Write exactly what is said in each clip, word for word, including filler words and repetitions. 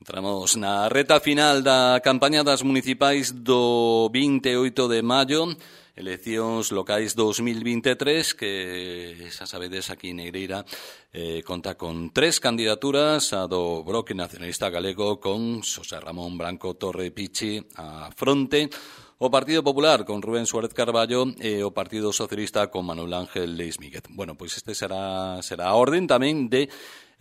Entramos na reta final da campaña das municipais do vinte e oito de maio, eleccións locais dos mil vinte e tres, que xa sabedes aquí en Negreira eh, conta con tres candidaturas, a do Bloque Nacionalista Galego con Xosé Ramón Branco Torre Pichi a fronte, o Partido Popular con Rubén Suárez Carballo e o Partido Socialista con Manuel Ángel Leis Míguez. Bueno, pois este será, será a orden tamén de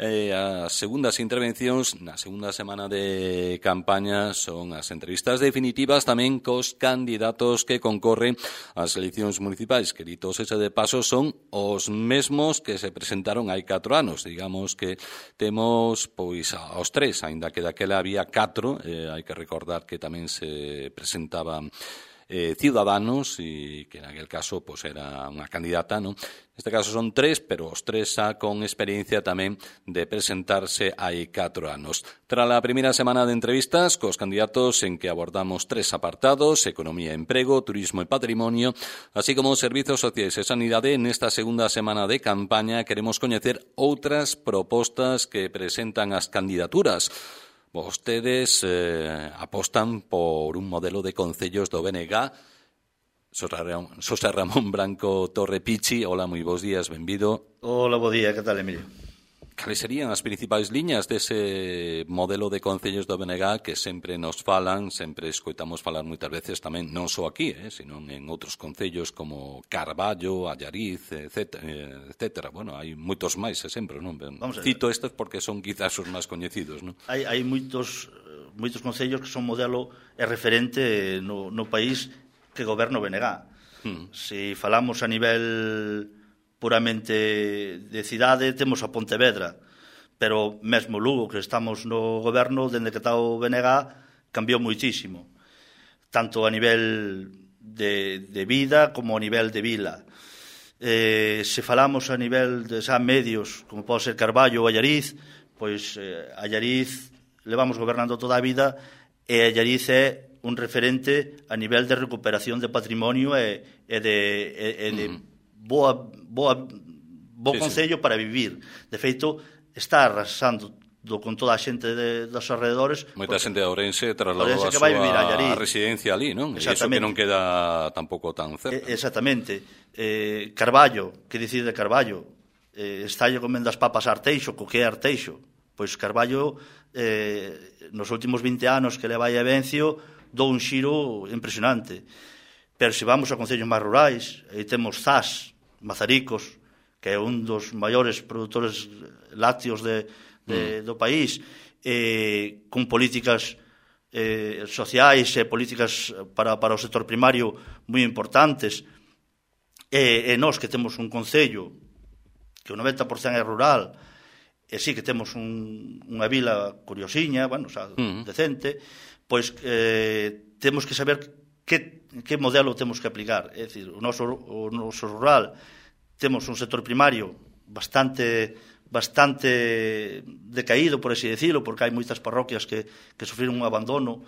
Eh, as segundas intervencións na segunda semana de campaña son as entrevistas definitivas tamén cos candidatos que concorren ás eleccións municipais, que ditos ese de paso son os mesmos que se presentaron hai catro anos. Digamos que temos pois aos tres, aínda que daquela había catro, eh, hai que recordar que tamén se presentaban Eh, Ciudadanos e que en aquel caso pues, era unha candidata, ¿no? Neste caso son tres, pero os tres xa con experiencia tamén de presentarse hai catro anos. Tras a primeira semana de entrevistas cos candidatos en que abordamos tres apartados, economía e emprego, turismo e patrimonio, así como servizos sociais e sanidade, nesta segunda semana de campaña queremos coñecer outras propostas que presentan as candidaturas. Vostedes eh, apostan por un modelo de concellos do B N G. Xosé Ramón Branco Torre Pichi, hola, moi bons días, benvido. Hola, bo día, que tal, Emilio? Cales serían as principais liñas dese modelo de concellos do B N G que sempre nos falan, sempre escoitamos falar moitas veces tamén, non só aquí, eh, sino en outros concellos como Carballo, Allariz, etcétera. Bueno, hai moitos máis, sempre, non? Cito estes porque son quizás os máis coñecidos, non? Hai, hai moitos, moitos concellos que son modelo e referente no, no país que goberna o B N G. Hmm. Se falamos a nivel puramente de cidade, temos a Pontevedra, pero mesmo Lugo, que estamos no goberno, dende que está o B N G, cambiou moitísimo, tanto a nivel de, de vida como a nivel de vila. Eh, se falamos a nivel de xa medios, como pode ser Carballo ou Allariz, pois eh, Allariz levamos gobernando toda a vida e Allariz é un referente a nivel de recuperación de patrimonio e, e de, e, e de mm. boa, boa, bo sí, concello sí. para vivir. De feito, está arrasando do, con toda a xente de, dos alrededores. Moita xente de Ourense trasladou a súa residencia ali, non? E iso que non queda tampouco tan cerca. E, exactamente. Eh, Carballo, que dicir de Carballo? Eh, está lle comendo as papas a Arteixo, co que é Arteixo? Pois Carballo, eh, nos últimos vinte anos que leva aí a Vencio, dou un xiro impresionante. Pero se vamos a concellos máis rurais, aí temos Zas, Mazaricos, que é un dos maiores produtores lácteos de, de, mm. do país, eh, con políticas eh, sociais e políticas para, para o sector primario moi importantes. E, e nós que temos un concello que o noventa por cento é rural, e sí que temos un, unha vila curiosiña, bueno, o sea, mm. decente, pois eh, temos que saber que, que modelo temos que aplicar. É dicir, o noso, o noso rural temos un sector primario bastante bastante decaído, por así decirlo, porque hai moitas parroquias que, que sufriron un abandono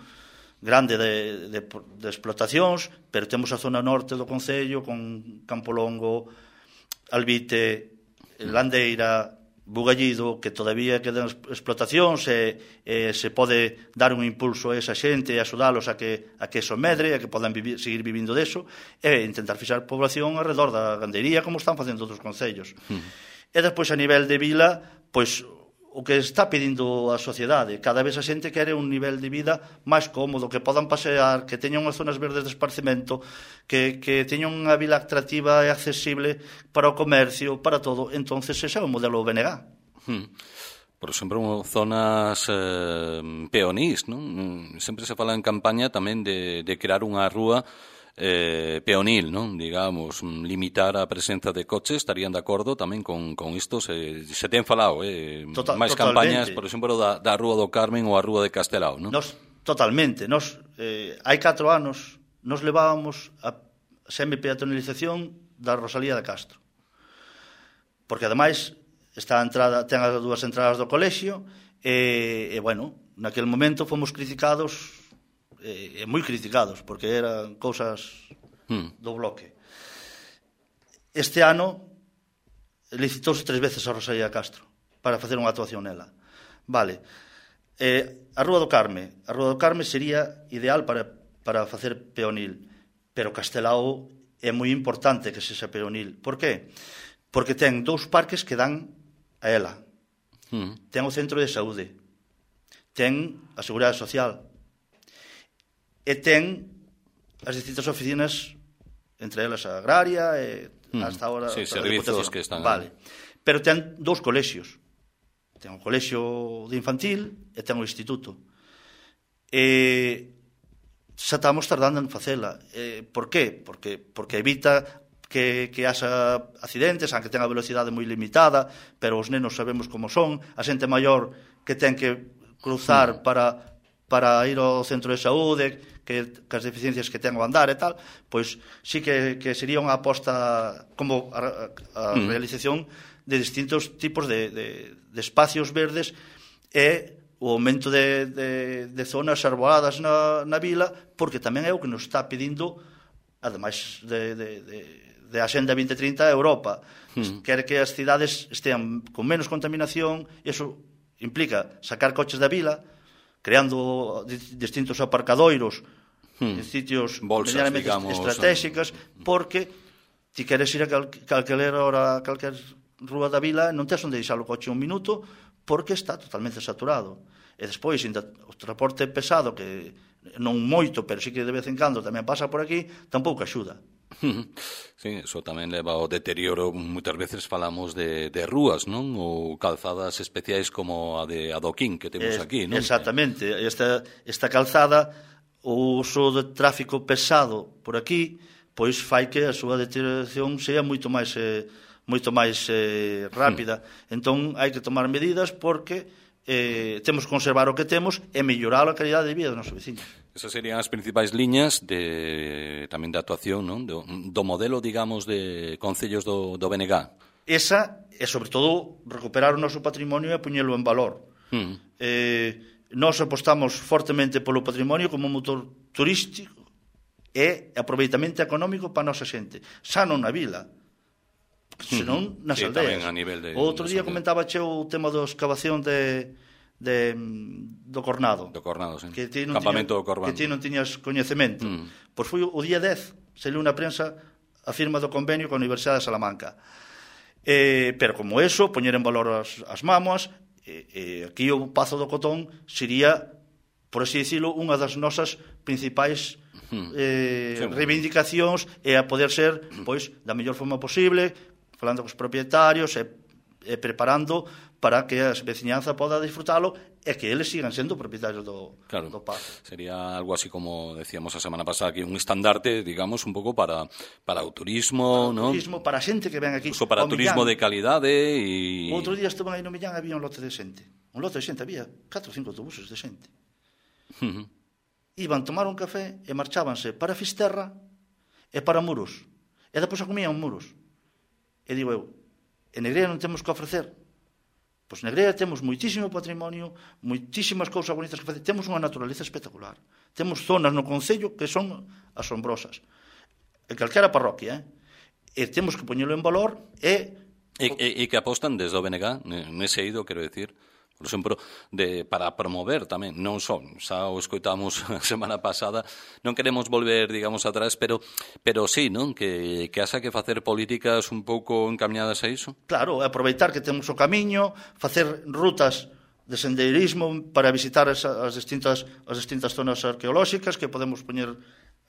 grande de, de, de explotacións, pero temos a zona norte do concello con Campolongo, Albite, Landeira, Bugallido, que todavía quedan explotacións e, e se pode dar un impulso a esa xente e axudalos a que, a que eso medre, a que podan vivir, seguir vivindo deso e intentar fixar población alrededor da gandeiría como están facendo outros concellos. Uh-huh. E despois a nivel de vila, pois o que está pedindo a sociedade, cada vez a xente quere un nivel de vida máis cómodo, que podan pasear, que teñan unhas zonas verdes de esparcimento, que, que teñan unha vila atractiva e accesible para o comercio, para todo. Entonces, ese é o modelo B N G. Hmm. Por exemplo, zonas eh, peonís, non? Sempre se fala en campaña tamén de, de crear unha rúa Eh, peonil, non? Digamos, limitar a presenza de coches. Estarían de acordo tamén con, con isto? Se, se ten falado, eh? Total, máis campañas, por exemplo, da, da Rúa do Carmen ou a Rúa de Castelao, non? Nos, totalmente. Nos, eh, hai catro anos nos levábamos a semi-peatonalización da Rosalía de Castro. Porque, ademais, está a entrada, ten as dúas entradas do colexio e, e bueno, naquel momento fomos criticados e moi criticados, porque eran cousas hmm. do bloque. Este ano licitouse tres veces a Rosalía Castro para facer unha actuación nela. Vale, Eh, a Rúa do Carme. A Rúa do Carme sería ideal para, para facer peonil, pero Castelao é moi importante que sexa peonil. Por qué? Porque ten dous parques que dan a ela. Mm. Ten o centro de saúde, ten a Seguridade Social e ten as distintas oficinas, entre elas a agraria e mm. hasta ahora sí, servizos que están vale. Pero ten dous colexios. Ten o colexio de infantil e ten o instituto. E xa estamos tardando en facela. Eh, por qué? Porque, porque evita que, que haxa accidentes, aunque ten a velocidade moi limitada, pero os nenos sabemos como son, a xente maior que ten que cruzar mm. para, para ir ao centro de saúde, que, que as deficiencias que ten ao andar e tal, pois sí que, que sería unha aposta como a, a mm. realización de distintos tipos de, de, de espacios verdes e o aumento de, de, de zonas arboladas na, na vila, porque tamén é o que nos está pedindo, ademais de, de, de, de Axenda vinte trinta, a Europa. Mm. Quere que as cidades estean con menos contaminación, e iso implica sacar coches da vila, creando distintos aparcadoiros, mm. en sitios medianamente estratégicas, porque ti queres ir a cal, calquer hora, calquer rúa da vila, non tes onde deixar o coche un minuto, porque está totalmente saturado. E despois, o transporte pesado, que non moito, pero sí que de vez en cando tamén pasa por aquí, tampouco axuda. Sí, eso tamén leva ao deterioro. Moitas veces falamos de, de rúas, non? Ou calzadas especiais como a de Adoquín, que temos es, aquí, non? Exactamente. Esta, esta calzada, o uso de tráfico pesado por aquí, pois fai que a súa deterioración sea moito máis... Eh, moito máis eh, rápida. Mm. Entón, hai que tomar medidas porque eh, temos que conservar o que temos e mellorar a calidade de vida dos nosos vecinos. Esas serían as principais liñas de, tamén de actuación, non? Do, do modelo, digamos, de concellos do, do B N G. Esa, e sobre todo, recuperar o noso patrimonio e poñelo en valor. Mm. Eh, nós apostamos fortemente polo patrimonio como un motor turístico e aproveitamento económico para a nosa xente. Xa non na vila, senón nas sí, aldeas. De, outro día comentaba che o tema da excavación de, de, do Cornado. Do Cornado, sí. Que ti non Campamento tiña, do Cornado. Que ti non tiñas coñecemento. Mm. Pois foi o día dez, saliu na prensa a firma do convenio con a Universidade de Salamanca. Eh, pero como eso, poñer en valor as, as mámoas, eh, eh, aquí o Pazo do Cotón sería, por así dicilo, unha das nosas principais eh, sí, reivindicacións e a poder ser, pois, da mellor forma posible, falando cos propietarios e, e preparando para que a veciñanza poda disfrutalo e que eles sigan sendo propietarios do, claro, do Pazo. Sería algo así como decíamos a semana pasada, que un estandarte, digamos, un pouco para, para o turismo, para ¿no? o turismo, para a xente que ven aquí. Uso para turismo Millán. De calidade e... Outro día estuve aí no Millán, había un lote de xente. Un lote de xente, había catro ou cinco autobuses de xente. Uh-huh. Iban tomar un café e marchábanse para Fisterra e para Muros. E depois a comían Muros. E digo eu, en Negreira non temos que ofrecer? Pois en Negreira temos moitísimo patrimonio, moitísimas cousas bonitas que facer. Temos unha naturaleza espectacular. Temos zonas no concello que son asombrosas. En calquera parroquia, eh? E temos que poñelo en valor e... E, e, e que apostan desde o B N G, nese eido, quero decir... Por exemplo, de, para promover tamén, non só, xa o escoitamos a semana pasada, non queremos volver, digamos, atrás, pero pero sí, non? Que, que haxa que facer políticas un pouco encaminadas a iso. Claro, aproveitar que temos o camiño, facer rutas de sendeirismo para visitar as, as, distintas, as distintas zonas arqueolóxicas que podemos poñer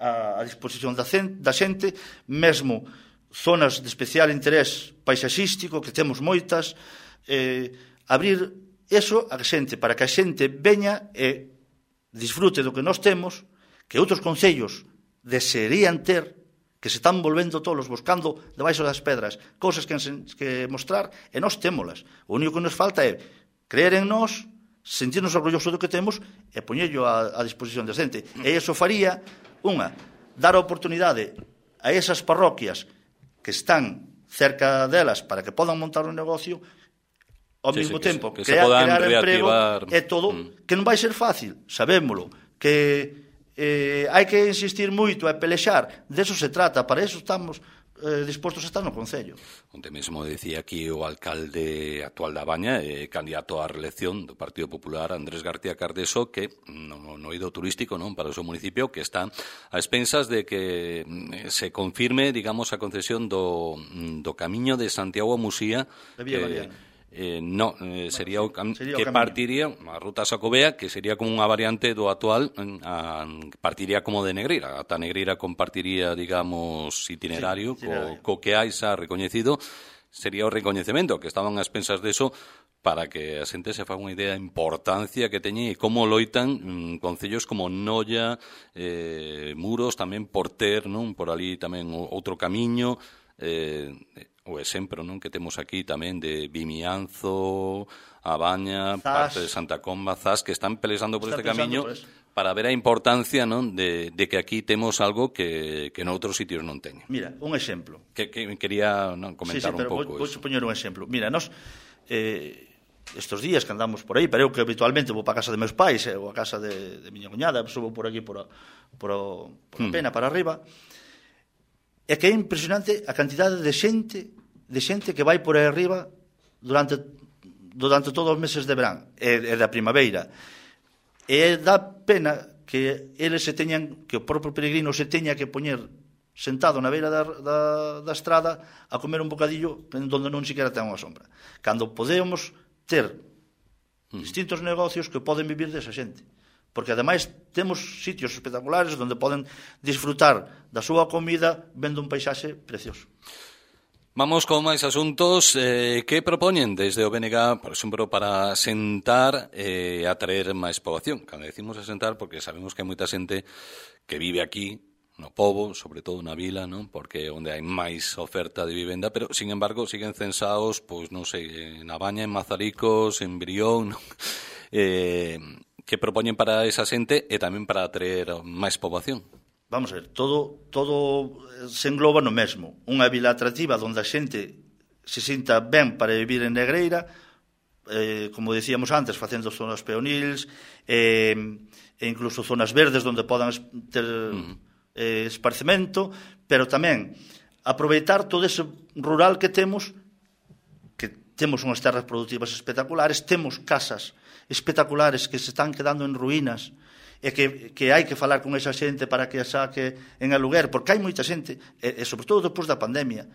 a, a disposición da, cen, da xente, mesmo zonas de especial interés paisaxístico, que temos moitas, eh, abrir... Eso a xente, para que a xente veña e disfrute do que nós temos, que outros concellos desearían ter, que se están volvendo tolos buscando debaixo das pedras cousas que, que mostrar, e nós témolas. O único que nos falta é creer en nós, sentirnos orgullosos do que temos e poñello a, a disposición da xente. E iso faría, unha, dar a oportunidade a esas parroquias que están cerca delas para que podan montar un negocio, ao sí, mesmo sí, tempo, que, crear, que crear emprego, e todo, mm. que non vai ser fácil, sabémolo, que eh, hai que insistir moito e pelexar, de eso se trata, para eso estamos, eh, dispostos a estar no Concello. Onte mesmo decía aquí o alcalde actual da Baña, eh, candidato á reelección do Partido Popular, Andrés García Cardeso, que no, no eido turístico, non, para o seu municipio, que está a expensas de que eh, se confirme, digamos, a concesión do, do camiño de Santiago a Musía, que eh, no, eh, sería o cam sería que o partiría a ruta Xacobea, que sería como unha variante do actual, a, partiría como de Negreira, ata Negreira compartiría, digamos, itinerario, sí, itinerario. Co, co que hai xa recoñecido, sería o recoñecemento, que estaban as pensas deso, para que a xente se faga unha idea da importancia que teñen e como loitan mm, concellos como Noia, eh, Muros, tamén por ter, non, por ali tamén outro camiño, eh, o exemplo, non, que temos aquí tamén de Vimianzo, A Baña, Zas, parte de Santa Comba, Zas, que están pelexando por este camiño por para ver a importancia, non, de, de que aquí temos algo que, que noutros sitios non teñen. Mira, un exemplo. Que, que quería non, comentar sí, sí, un pouco. Vou, vou poñer un exemplo. Mira, nos eh, estes días que andamos por aí, pero eu que habitualmente vou para a casa de meus pais, eh, ou a casa de, de miña cuñada, subo por aquí por a, por a, por a pena, hmm. para arriba. É que é impresionante a cantidade de xente de xente que vai por aí arriba durante durante todos os meses de verán e, e da primavera. E dá pena que eles se teñan, que o propio peregrino se teña que poñer sentado na beira da, da, da estrada a comer un bocadillo onde non siquiera ten unha sombra. Cando podemos ter distintos negocios que poden vivir desa xente. Porque ademais temos sitios espectaculares onde poden disfrutar da súa comida vendo un paisaxe precioso. Vamos con máis asuntos. Eh, que propoñen desde o B N G, por exemplo, para sentar e eh, atraer máis poboación? Cando decimos asentar, porque sabemos que hai moita xente que vive aquí, no pobo, sobre todo na vila, non? Porque é onde hai máis oferta de vivenda, pero, sin embargo, siguen censados, pois, non sei, na Baña, en Mazaricos, en Brión, non? Eh... que propoñen para esa xente e tamén para atraer máis poboación? Vamos a ver, todo, todo se engloba no mesmo. Unha vila atractiva onde a xente se sinta ben para vivir en Negreira, eh, como decíamos antes, facendo zonas peonils, eh, e incluso zonas verdes onde podan ter uh-huh. eh, esparcemento, pero tamén aproveitar todo ese rural que temos, que temos unhas terras productivas espectaculares, temos casas espectaculares que se están quedando en ruínas e que, que hai que falar con esa xente para que a saque en aluguer, porque hai moita xente, e, e sobre todo despois da pandemia,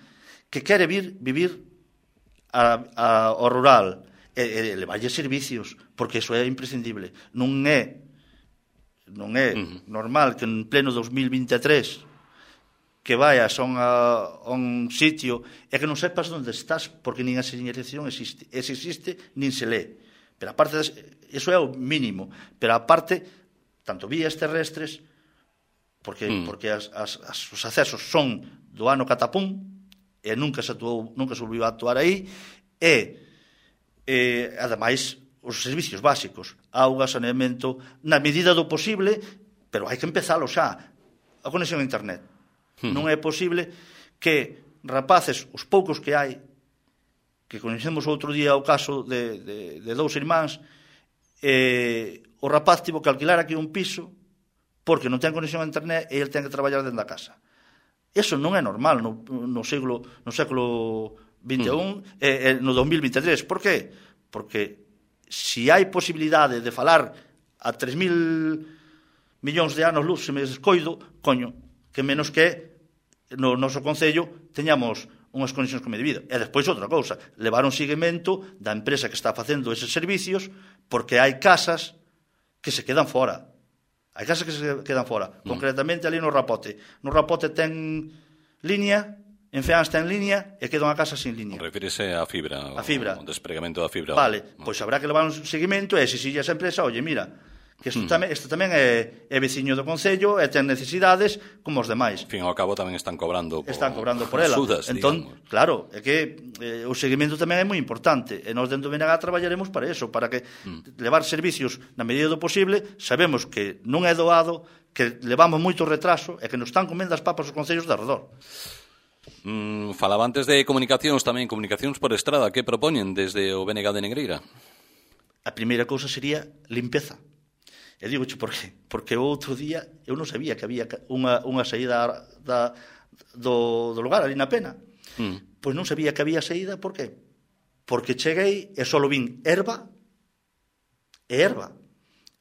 que quere vir vivir a, a, ao rural e, e levarlle servicios, porque iso é imprescindible. Non é non é uh-huh. normal que en pleno dos mil vinte e tres que vayas a un, a un sitio e que non sepas onde estás, porque nin a señalización existe. E se existe, nin se lee. Pero aparte, eso é o mínimo, pero aparte, tanto vías terrestres, porque, mm. porque as, as, as, os accesos son do ano catapún, e nunca se, atuou, nunca se volviu a actuar aí, e, e ademais, os servicios básicos, auga, saneamento, na medida do posible, pero hai que empezalo xa, a conexión a internet. Mm. Non é posible que rapaces, os poucos que hai, que conhecemos outro día o caso de, de, de dous irmáns, eh, o rapaz tivo que alquilar aquí un piso porque non ten conexión a internet e ele ten que traballar dentro da casa. Eso non é normal no, no, siglo, no século vinte e un mm. e, e no dos mil vinte e tres. Por qué? Porque se hai posibilidade de falar a tres mil millóns de anos luz, se me descoido, coño, que menos que no noso concello teñamos unhas condicións como de vida. E despois outra cousa, levar un seguimento da empresa que está facendo eses servicios, porque hai casas que se quedan fora. Hai casas que se quedan fora. Mm. Concretamente ali no Rapote. No Rapote ten línea, en Feáns ten línea e queda unha casa sin línea. Refírese á fibra, a fibra. O despregamento da fibra. Vale, pois habrá que levar un seguimento e exixirlle a esa empresa, oye, mira, que isto, mm. tamén, isto tamén é, é veciño do Concello e ten necesidades como os demais. Al fin ao cabo tamén están cobrando por, están cobrando por ela. Sudas, entón, digamos. Claro, é que eh, o seguimento tamén é moi importante e nós dentro do B N G traballaremos para eso, para que mm. levar servicios na medida do posible. Sabemos que non é doado, que levamos moito retraso e que nos están comendo as papas os concellos de arredor. Mm, falaba antes de comunicacións tamén, comunicacións por estrada. Que propoñen desde o B N G de Negreira? A primeira cousa sería limpeza. E digoche por qué? Porque o outro día eu non sabía que había unha, unha saída da, do, do lugar, ali na Pena. Mm. Pois non sabía que había saída, por qué? Porque cheguei e só vin erva e erva.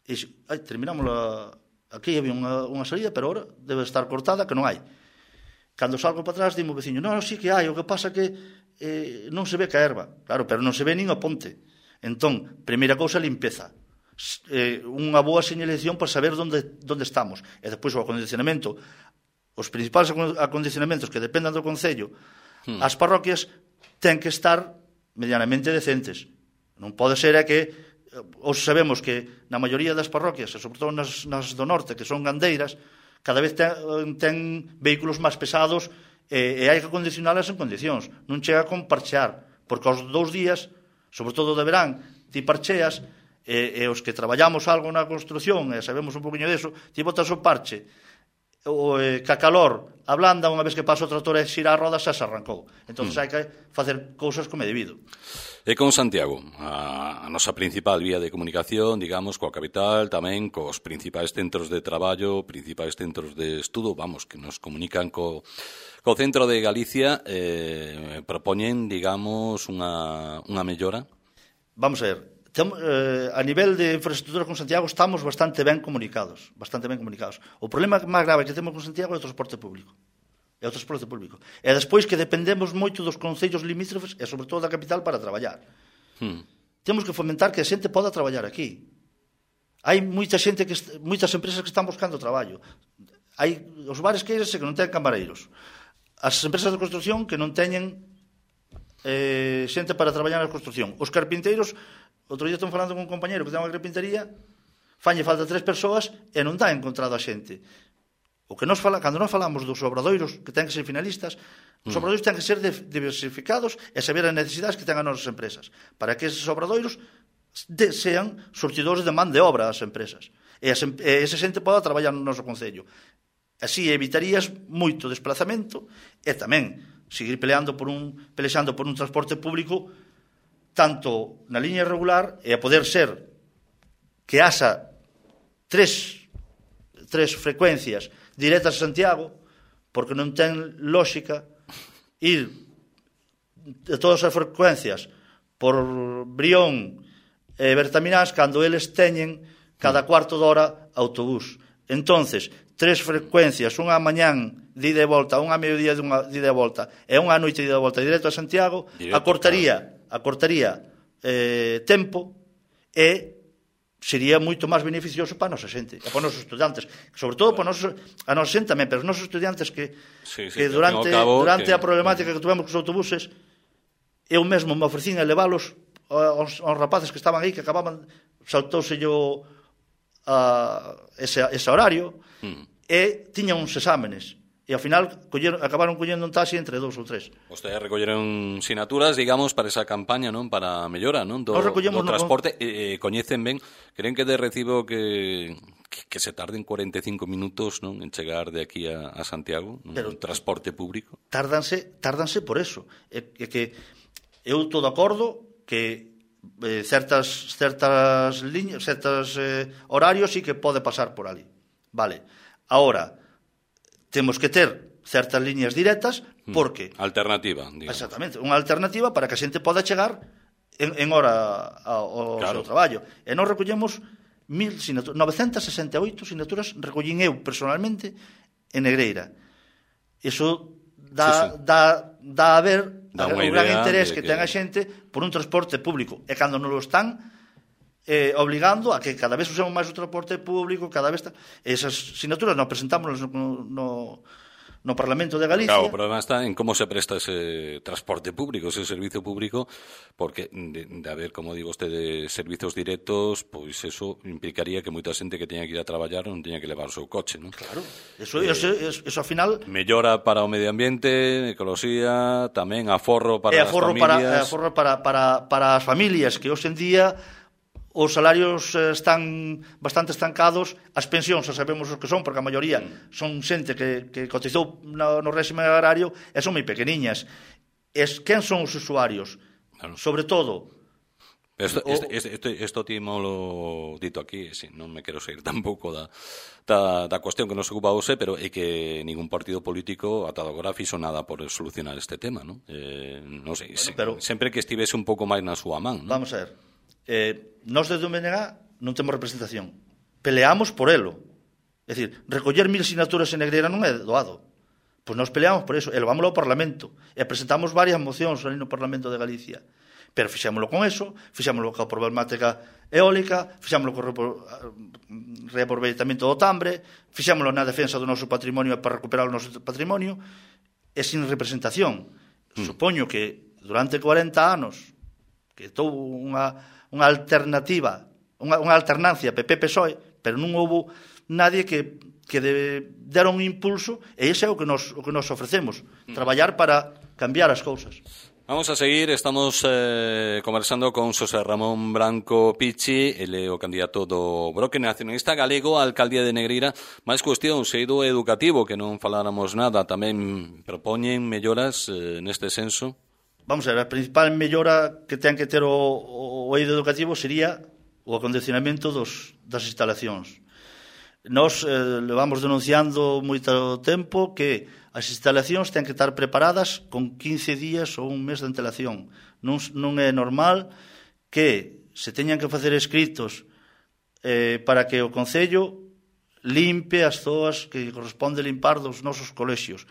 E ai, terminamos a... Aquí había unha, unha saída, pero ahora debe estar cortada, que non hai. Cando salgo para atrás, dimo veciño, non, sí que hai, o que pasa que eh, non se ve que a erva. Claro, pero non se ve nin a ponte. Entón, primeira cousa, limpeza. Eh, unha boa señalización para saber onde, onde estamos. E despois o acondicionamento. Os principais acondicionamentos que dependan do Concello, hmm. as parroquias ten que estar medianamente decentes. Non pode ser é que os sabemos que na maioría das parroquias, e sobre todo nas, nas do norte, que son gandeiras, cada vez ten, ten vehículos máis pesados e, e hai que acondicionalas en condicións. Non chega con parchear, porque aos dous días, sobre todo de verán, ti parcheas, e, e os que traballamos algo na construción, e sabemos un poquinho deso, ti botas o parche, o eh, ca calor ablanda, unha vez que pasa o trator e xira a roda, xa se arrancou. Entón, mm. hai que facer cousas como é debido. E con Santiago, a, a nosa principal vía de comunicación, digamos, coa capital, tamén cos principais centros de traballo, principais centros de estudo, vamos, que nos comunican co, co centro de Galicia, eh, propoñen, digamos, unha, unha mellora? Vamos a ver, tem, eh, a nivel de infraestructura con Santiago estamos bastante ben comunicados, bastante ben comunicados. O problema máis grave que temos con Santiago é o transporte público. É o transporte público. E despois que dependemos moito dos concellos limítrofes e sobre todo da capital para traballar. Hmm. Temos que fomentar que a xente poda traballar aquí. Hai moita xente que moitas empresas que están buscando traballo. Hai os bares que que non ten camareiros. As empresas de construción que non teñen eh, xente para traballar na construción. Os carpinteiros, outro día estamos falando con un compañeiro que ten unha carpintería, falle falta tres persoas e non dá encontrado a xente. O que nos fala, cando nos falamos dos obradoiros que ten que ser finalistas, os obradoiros ten que ser diversificados e saber as necesidades que ten as nosas empresas, para que eses obradoiros de, sean surtidores de man de obra ás empresas. E, as, e esa xente poda traballar no noso concello. Así evitarías moito desplazamento e tamén seguir peleando por un, pelexando por un transporte público tanto na liña regular e a poder ser que haxa tres, tres frecuencias directas a Santiago, porque non ten lógica ir de todas as frecuencias por Brión e Bertaminás cando eles teñen cada cuarto de hora autobús. Entonces, tres frecuencias, unha mañán de ida e volta, unha mediodía de unha de ida e volta e unha noite de ida e volta directo a Santiago, directo, acortaría, claro. acortaría eh, tempo e sería moito máis beneficioso para a nosa xente, e para os nosos estudantes, sobre todo para a nosa, a nosa xente tamén, pero os nosos estudantes que, sí, sí, que durante, cabo, durante que... a problemática que tuvemos cos autobuses, eu mesmo me ofrecín a leválos aos, aos rapaces que estaban aí, que acababan, saltouse yo a, ese, ese horario, mm. e tiñan uns exámenes. E ao final colleron, acabaron collendo un taxi entre dous ou tres. Vostedes recolleron sinaturas, digamos, para esa campaña, non? Para a mellora, non? Do, do transporte. No... Eh, coñecen ben, creen que de recibo que, que, que se tarden cuarenta e cinco minutos, non? En chegar de aquí a, a Santiago, non? Pero, transporte público. Tardanse, tardanse por eso. É, é que eu estou de acordo que eh, certas, certas liñas, certos eh, horarios sí que pode pasar por ali. Vale. Ahora, temos que ter certas liñas directas porque... Alternativa, digamos. Exactamente, unha alternativa para que a xente poda chegar en, en hora ao, ao claro. seu traballo. E nós recollemos mil sinaturas, novecentas sesenta e oito sinaturas recollín eu personalmente en Negreira. Iso dá, sí, sí. dá, dá a ver dá o gran interés que, que ten a xente por un transporte público. E cando non lo están... Eh, obligando a que cada vez usemos máis o transporte público, cada vez... Ta... Esas sinaturas nos presentamos no, no, no Parlamento de Galicia. Claro, o problema está en como se presta ese transporte público, ese servicio público, porque de, de haber, como digo usted, de servicios directos, pois pues eso implicaría que moita xente que teña que ir a traballar non teña que levar o seu coche, non? Claro, eso, eh, eso, eso, eso ao final... Mellora para o medio ambiente, ecoloxía, tamén aforro para aforro as familias... Para, aforro para, para, para as familias, que hoxe en día... Os salarios están bastante estancados, as pensións xa sabemos os que son, porque a maioría son xente que, que cotizou no, no réxime agrario e son moi pequeniñas. Es, quen son os usuarios? Claro. Sobre todo, Isto, isto, isto, isto timolo dito aquí, si, non me quero sair tampouco da, da, da cuestión que nos ocupa hoxe, pero é que ningún partido político ata agora fixo nada por solucionar este tema, non? Eh, non sei, bueno, pero, sempre que estivese un pouco máis na súa man, non? Vamos a ver, eh, nós desde o B N G non temos representación, peleamos por elo, é dicir, recoller mil sinaturas en Negreira non é doado. Pois nós peleamos por eso, e levámoslo ao Parlamento, e presentamos varias mocións ali no Parlamento de Galicia. Pero fixémoslo con eso, fixémoslo coa problemática eólica, fixémoslo co reaproveitamento do tambre, fixémoslo na defensa do noso patrimonio para recuperar o noso patrimonio, e sin representación. Mm. Supoño que durante corenta anos que touvo unha, unha alternativa, unha, unha alternancia P P P S O E, pero non houve nadie que que de, deron un impulso, e ese é o que nos, o que nos ofrecemos, mm. traballar para cambiar as cousas. Vamos a seguir, estamos eh, conversando con Xosé Ramón Branco Pichi, ele é o candidato do Bloque Nacionalista Galego á alcaldía de Negreira. Máis cuestión, seido educativo, que non faláramos nada, tamén propoñen melloras eh, neste senso? Vamos a ver, a principal mellora que ten que ter o, o, o eido educativo sería o acondicionamento dos, das instalacións. Nos eh, levamos denunciando moito tempo que as instalacións ten que estar preparadas con quince días ou un mes de antelación. Non, non é normal que se teñan que facer escritos eh, para que o Concello limpe as zoas que corresponde limpar dos nosos colexios.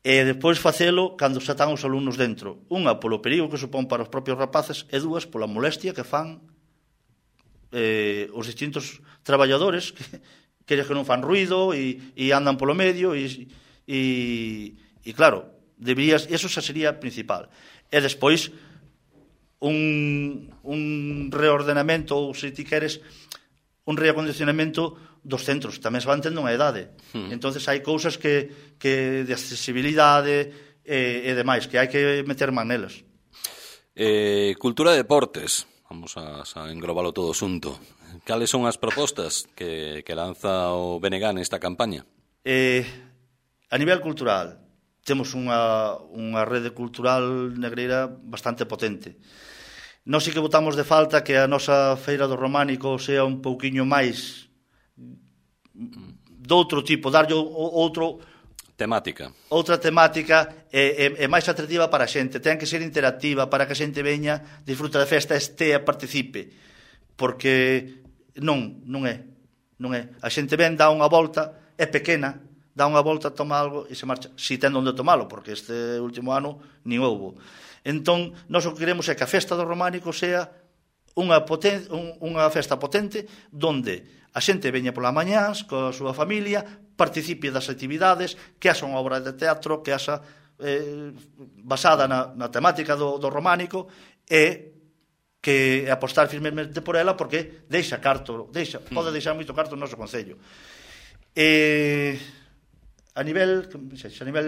E despois facelo cando xa están os alumnos dentro. Unha, polo perigo que supón para os propios rapaces, e dúas, pola molestia que fan eh, os distintos traballadores que, que, que non fan ruido e, e andan polo medio e, e, e claro, deberías, eso xa sería principal. E despois un, un reordenamento ou se ti queres un reacondicionamento dos centros, tamén se van tendo unha idade. Hmm. Entonces hai cousas que, que de accesibilidade e, e demais, que hai que meter man nelas. Eh, cultura e deportes. Vamos a, a englobalo todo xunto. Cales son as propostas que, que lanza o B N G nesta campaña? Eh, a nivel cultural, temos unha, unha rede cultural negreira bastante potente. Nós sí que botamos de falta que a nosa Feira do Románico sea un pouquiño máis doutro tipo, darlle outro temática. Outra temática é, é, é máis atractiva para a xente, ten que ser interactiva para que a xente veña, disfruta da festa, estea, participe, porque non, non é, non é. A xente ven, dá unha volta, é pequena, dá unha volta, toma algo e se marcha, si ten onde tomalo, porque este último ano nin houbo. Entón, nós o que queremos é que a festa do Románico sea unha, poten, un, unha festa potente donde a xente veña pola mañás coa súa familia, participe das actividades, que haxa unha obra de teatro, que haxa eh, basada na, na temática do, do románico, e que apostar firmemente por ela porque deixa carto, deixa, pode deixar moito carto no noso concello. E a nivel, a nivel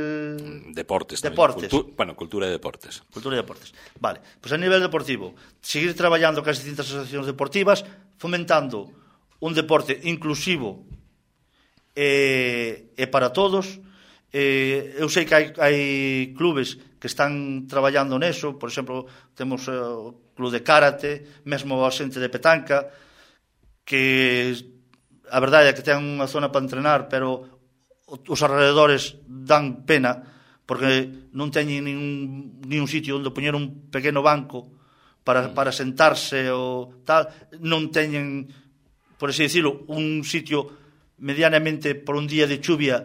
deportes, deportes. Cultu, bueno, cultura e deportes. Cultura e deportes. Vale, pois a nivel deportivo, seguir traballando con as distintas asociacións deportivas, fomentando un deporte inclusivo e, e para todos. Eh, eu sei que hai, hai clubes que están traballando neso, por exemplo, temos eh, o club de karate, mesmo a xente de petanca, que a verdade é que ten unha zona para entrenar, pero os alrededores dan pena, porque non teñen nin un, nin un sitio onde poñer un pequeno banco para, para sentarse ou tal, non teñen, por así dicilo, un sitio medianamente por un día de chuvia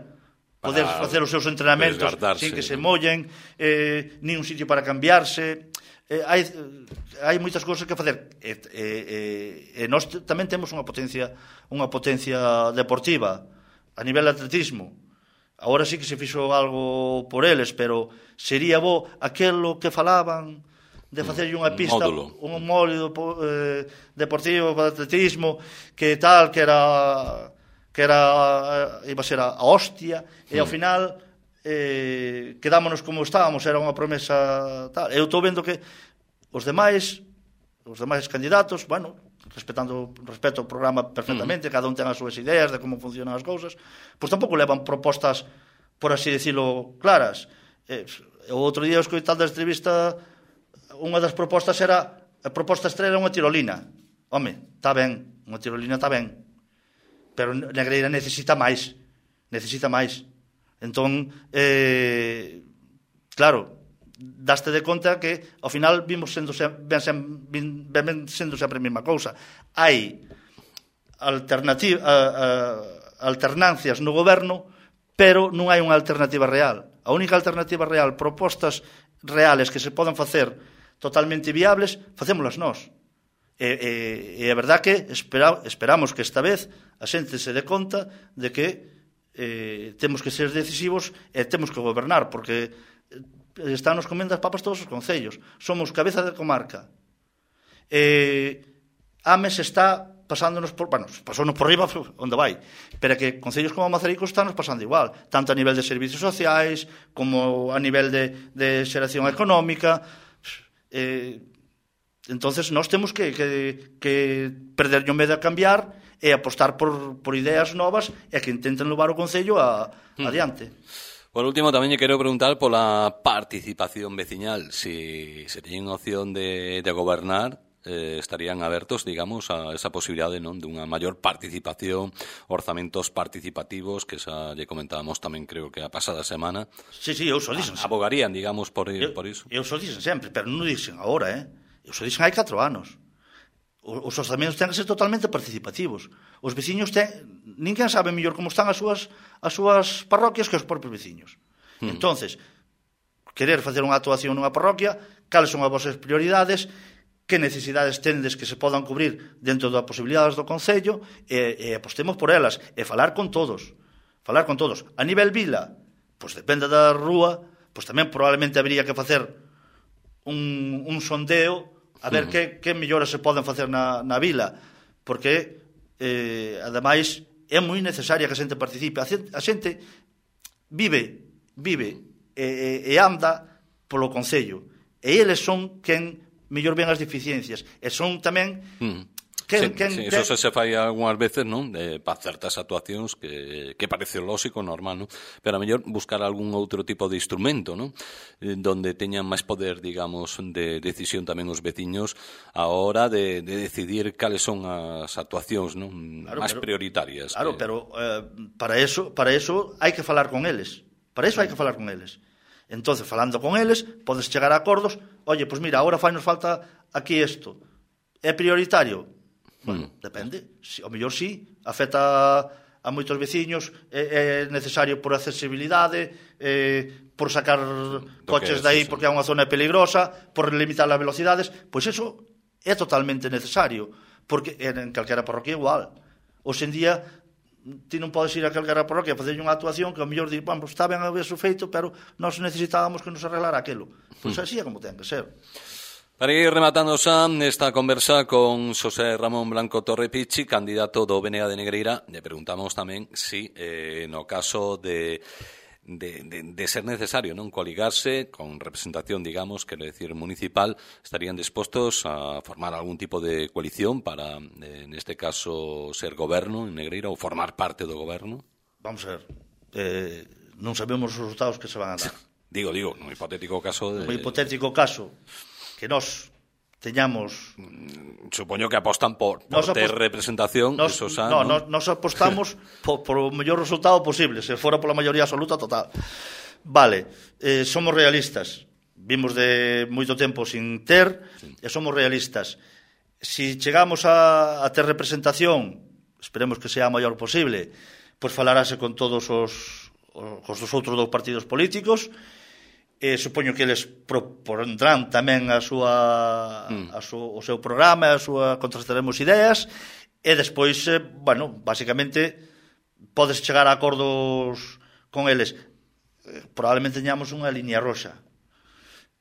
poder para facer os seus entrenamentos sin que se mollen, eh, nin un sitio para cambiarse. Eh, hai, hai moitas cousas que facer. E, e, e nós tamén temos unha potencia, unha potencia deportiva a nivel de atletismo. Agora sí que se fixo algo por eles, pero sería bo aquelo que falaban de facerlle unha pista, módulo. un módulo eh, deportivo para atletismo, que tal, que era que era iba a ser a, a hostia, e ao final eh, quedámonos como estábamos, era unha promesa tal. Eu estou vendo que os demais os demais candidatos, bueno, respetando respeto o programa perfectamente, uh-huh. cada un ten as súas ideas de como funcionan as cousas, pois tampouco levan propostas, por así decirlo, claras. Eh, o outro día, escoitando a entrevista, unha das propostas era a proposta estrela é unha tirolina. Home, está ben, unha tirolina está ben, pero Negreira necesita máis, necesita máis. Entón, eh, claro, daste de conta que ao final vimos sendo ben, ben, ben sendo sempre a mesma cousa. Hai alternativa, a, a, alternancias no goberno, pero non hai unha alternativa real. A única alternativa real, propostas reales que se poden facer totalmente viables, facémolas nós. E, e, e a verdad que espera, esperamos que esta vez a xente se dé conta de que eh, temos que ser decisivos e temos que gobernar, porque están nos comendo as papas todos os concellos. Somos cabeza de comarca. Eh, Ames está pasándonos por... Bueno, pasounos por riba onde vai, pero que concellos como Mazaricos están nos pasando igual, tanto a nivel de servicios sociais como a nivel de, de xeración económica. Eh, entonces nós temos que, que, que perder o medo a cambiar e apostar por, por ideas novas e que intenten levar o concello a, hmm. adiante. Por último, tamén lle quero preguntar pola participación veciñal. Si se teñen opción de, de gobernar, eh, estarían abertos, digamos, a esa posibilidade, non, de unha maior participación, orzamentos participativos, que xa lle comentábamos tamén, creo que a pasada semana. Sí, sí, eu só dixen. Abogarían, digamos, por, eu, por iso. Eu só dixen sempre, pero non dixen agora, eh? Eu só dixen hai catro anos. Os orzamentos ten que ser totalmente participativos. Os veciños ten... Ninguén sabe mellor como están as súas, as súas parroquias que os propios veciños. Hmm. Entonces, querer facer unha actuación nunha parroquia, cales son as vosas prioridades, que necesidades tendes que se podan cubrir dentro das posibilidades do concello, e, e apostemos por elas, e falar con todos. Falar con todos. A nivel vila, pois depende da rúa, pois tamén probablemente habría que facer un, un sondeo a ver uh-huh. que, que melloras se poden facer na, na vila, porque eh, ademais é moi necesaria que a xente participe. A xente, a xente vive vive e, e anda polo concello, e eles son quen mellor ven as deficiencias, e son tamén uh-huh. Quen, sí, quen, sí, eso se se fai algunhas veces, non? Eh, para certas actuacións que, que parece lógico, normal, non? Pero a mellor buscar algún outro tipo de instrumento, non? Eh, donde teñan máis poder, digamos, de decisión tamén os veciños a hora de, de decidir cales son as actuacións, non? Claro, máis pero, prioritarias. Claro, que... pero eh, para eso, para eso hai que falar con eles. Para eso hai que falar con eles. Entonces, falando con eles, podes chegar a acordos. Oye, pois pues mira, agora fai nos falta aquí isto. É prioritario? Bueno, mm. depende. Si, ao mellor sí, afecta a moitos veciños, é, é necesario por accesibilidade, eh, por sacar coches de aí porque é unha zona peligrosa, por limitar as velocidades, pois eso é totalmente necesario, porque en calquera parroquia igual. Hoxe en día ti non podes ir a calquera parroquia a facer unha actuación que ao mellor di, bueno, está ben haber feito, pero nós necesitábamos que nos arreglara aquilo. Pois así é como ten que ser. Para ir rematando xa esta conversa con Xosé Ramón Blanco Torrepichi, candidato do B N A de Negreira, le preguntamos tamén si eh, no caso de, de, de, de ser necesario non coligarse con representación, digamos, quero decir, municipal, estarían dispostos a formar algún tipo de coalición para, eh, neste caso, ser goberno en Negreira ou formar parte do goberno? Vamos a ver, eh, non sabemos os resultados que se van a dar. Digo, digo, no hipotético caso de... No hipotético caso que nós teñamos... Supoño que apostan por, por ter apost... representación. Nos, eso xa, no, ¿no? Nos apostamos por, por o mellor resultado posible, se fora pola maioría absoluta total. Vale, eh, somos realistas. Vimos de moito tempo sin ter, sí. E somos realistas. Si chegamos a, a ter representación, esperemos que sea a maior posible, pois falarase con todos os, os dos outros dous partidos políticos. Eh, supoño que eles propondrán tamén a súa, mm. a su, o seu programa, a súa, contrastaremos ideas, e despois, eh, bueno, basicamente podes chegar a acordos con eles. Eh, probablemente teñamos unha liña roxa,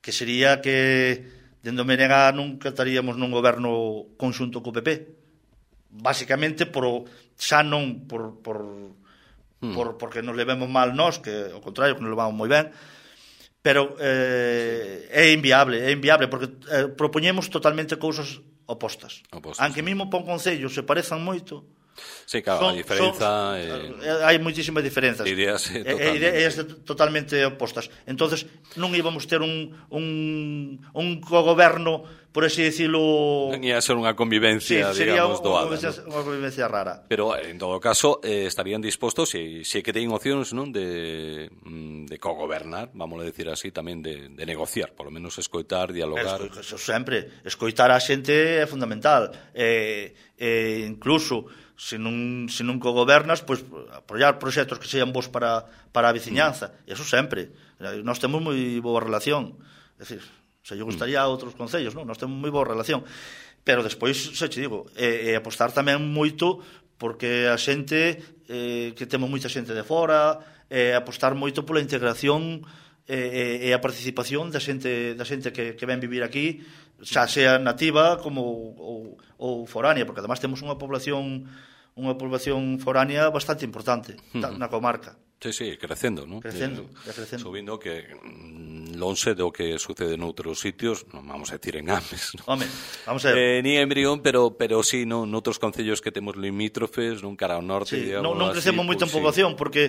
que sería que dende o B N A nunca estaríamos nun goberno conxunto co P P. Basicamente, por, xa non por, por, mm. por, porque nos levemos mal nós, que ao contrario, que nos levamos moi ben, pero eh, é inviable, é inviable porque eh, propoñemos totalmente cousas opostas. Opostas. Aunque mesmo para un concello se parezan moito. Sí, claro, son, a diferenza son, eh, hai moitísimas diferenzas. Ideas eh, totalmente. Ideas totalmente opostas. Entonces non íbamos ter un un un cogoberno por así decirlo... Ia ser unha convivencia, sí, sería digamos, doada. Sería ¿no? unha convivencia rara. Pero, en todo caso, eh, estarían dispostos, se, se que teñen opcións, non, de, de cogobernar, vamos a decir así, tamén de, de negociar, por lo menos escoitar, dialogar. Eso sempre, escoitar a xente é fundamental. Eh, eh, incluso, se non, se non cogobernas, pois, apoiar proxectos que sean bons para, para a veciñanza. Mm. Eso sempre. Nós temos moi boa relación. É dicir, se lle gustaría a outros concellos, non? Nós temos moi boa relación. Pero despois, se che digo, é, é apostar tamén moito porque a xente, eh, que temos moita xente de fora, é apostar moito pola integración e, e a participación da xente, da xente que, que ven vivir aquí, xa sea nativa como ou, ou foránea, porque además temos unha población unha población foránea bastante importante uh-huh. na comarca. Sí, sí, crecendo, ¿no? Crecendo, eh, crecendo. Subindo que lonxe do que sucede noutros sitios, non vamos a decir en Ames, ¿no? Home, vamos a ver. Eh, ni en Brión, pero pero sí, no, noutros concellos que temos limítrofes, nun cara ao norte, sí, digamos, non, non crecemos así, moito pues, en población, sí. porque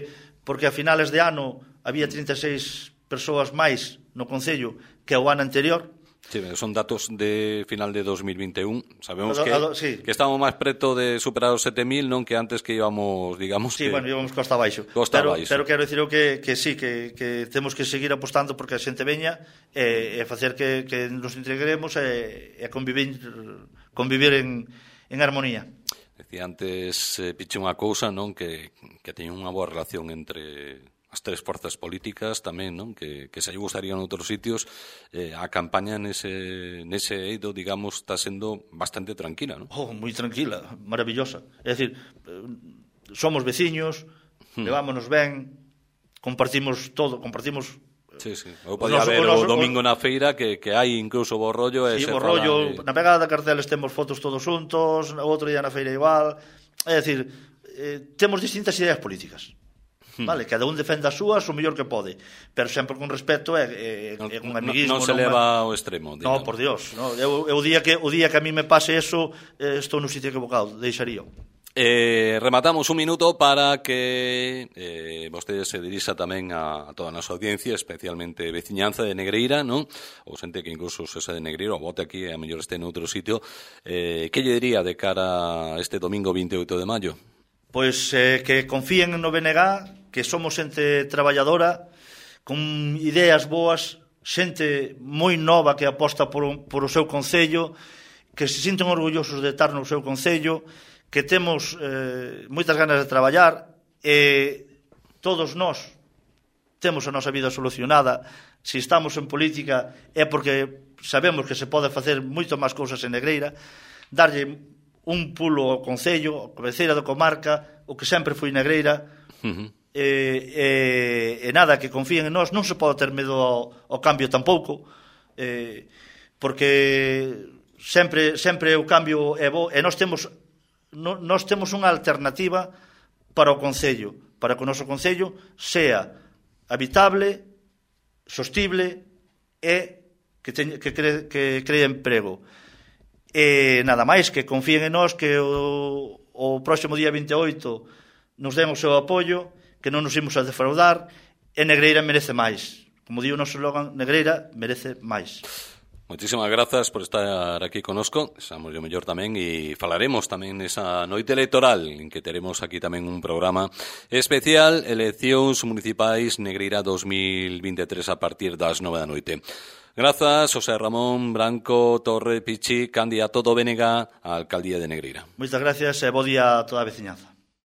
porque a finales de ano había trinta e seis persoas máis no concello que o ano anterior. Sí, son datos de final de dos mil vinte e un. Sabemos a, que, a, sí. que estamos máis preto de superar os sete mil, non que antes que íbamos, digamos sí, que... bueno, íbamos costa abaixo. Costa pero, abaixo. Pero quero dicir que, que sí, que, que temos que seguir apostando porque a xente veña e, e facer que, que nos integremos e, e convivir, convivir en, en armonía. Decía antes, eh, piche unha cousa, non, que, que teñen unha boa relación entre... as tres forzas políticas tamén, non? Que, que se lle gustaría en outros sitios, eh, a campaña nese, nese eido, digamos, está sendo bastante tranquila, non? Oh, moi tranquila, maravillosa. É dicir, somos veciños, hmm. levámonos ben, compartimos todo, compartimos... Sí, sí. Eu podía ver o domingo na feira que, que hai incluso bo rollo. Sí, bo rollo, de... na pegada carteles temos fotos todos juntos, o outro día na feira igual. É dicir, eh, temos distintas ideas políticas. Vale, cada un defende as súas o mellor que pode, pero sempre con respeto e, e, non, e con amiguismo. Non se leva ao extremo, No, digamos. por Dios, no. Eu, eu, o día que o día que a mí me pase eso, eh, estou no sitio equivocado, deixaría. Eh, rematamos un minuto para que eh, vostedes se dirixa tamén a, a toda a nosa audiencia, especialmente veciñanza de Negreira, non? Ou xente que incluso se xa de Negreira ou vote aquí e a mellor este en outro sitio. Eh, que lle diría de cara a este domingo veintioito de maio? Pois eh, que confíen no B N G, que somos xente traballadora, con ideas boas, xente moi nova que aposta por, un, por o seu concello, que se sinten orgullosos de estar no seu concello, que temos eh, moitas ganas de traballar, e todos nós temos a nosa vida solucionada. Se estamos en política é porque sabemos que se pode facer moito máis cousas en Negreira, darlle un pulo ao concello, a cabeceira da comarca, o que sempre foi Negreira, uh-huh. e, e, e nada, que confíen en nós. Non se pode ter medo ao, ao cambio tampouco, eh, porque sempre sempre o cambio é bo, e nós temos no, nós temos unha alternativa para o concello, para que o noso concello sea habitable, sostible e que, teñ, que, cre, que cree emprego. E nada máis, que confíen en nós, que o, o próximo día veinte e oito nos den o seu apoio, que non nos imos a defraudar, e Negreira merece máis. Como digo o noso slogan, Negreira merece máis. Moitísimas grazas por estar aquí conosco, xamos o mellor tamén, e falaremos tamén nesa noite electoral, en que teremos aquí tamén un programa especial, Eleccións Municipais Negreira dos mil vinte e tres a partir das nove da noite. Grazas, José Ramón Branco Torre Pichi, candidato do B N G á Alcaldía de Negreira. Moitas gracias e bo día a toda a veciñanza.